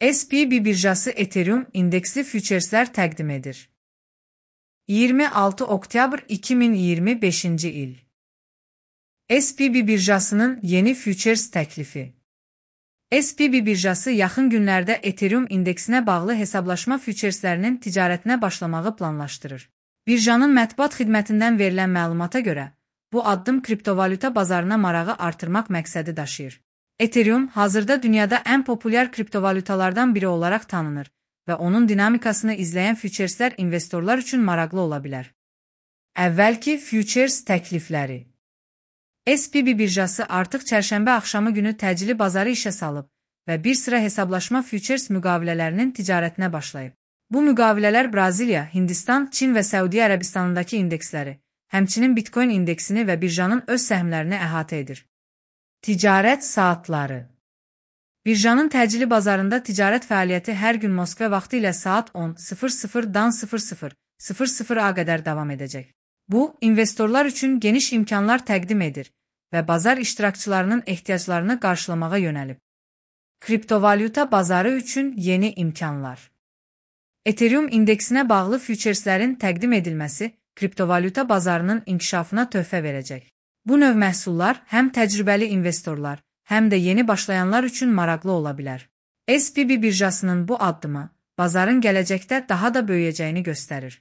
SPB birjası Ethereum indeksli füçerslər təqdim edir. 26 oktyabr 2025 il. SPB birjasının yeni füçers təklifi. SPB birjası yaxın günlərdə Ethereum indeksinə bağlı hesablaşma füçerslərinin ticarətinə başlamağı planlaşdırır. Birjanın mətbuat xidmətindən verilən məlumata görə, bu addım kriptovalyuta bazarına marağı artırmaq məqsədi daşıyır. Ethereum hazırda dünyada ən populyar kriptovalyutalardan biri olaraq tanınır və onun dinamikasını izləyən füçerslər investorlar üçün maraqlı ola bilər. Əvvəlki füçers təklifləri. SPB birjası artıq çərşənbə axşamı günü təcili bazarı işə salıb və bir sıra hesablaşma füçers müqavilələrinin ticarətinə başlayıb. Bu müqavilələr Braziliya, Hindistan, Çin və Səudiyyə Ərəbistanındakı indeksləri, həmçinin Bitcoin indeksini və birjanın öz səhmlərini əhatə edir. Ticarət saatları. Birjanın təcili bazarında ticarət fəaliyyəti hər gün Moskva vaxtı ilə saat 10:00-dan 00:00-a qədər davam edəcək. Bu, investorlar üçün geniş imkanlar təqdim edir və bazar iştirakçılarının ehtiyaclarını qarşılamağa yönəlib. Kriptovalyuta bazarı üçün yeni imkanlar. Ethereum indeksinə bağlı füçerslərin təqdim edilməsi kriptovalyuta bazarının inkişafına töhfə verəcək. Bu növ məhsullar həm təcrübəli investorlar, həm də yeni başlayanlar üçün maraqlı ola bilər. SPB birjasının bu addımı bazarın gələcəkdə daha da böyüyəcəyini göstərir.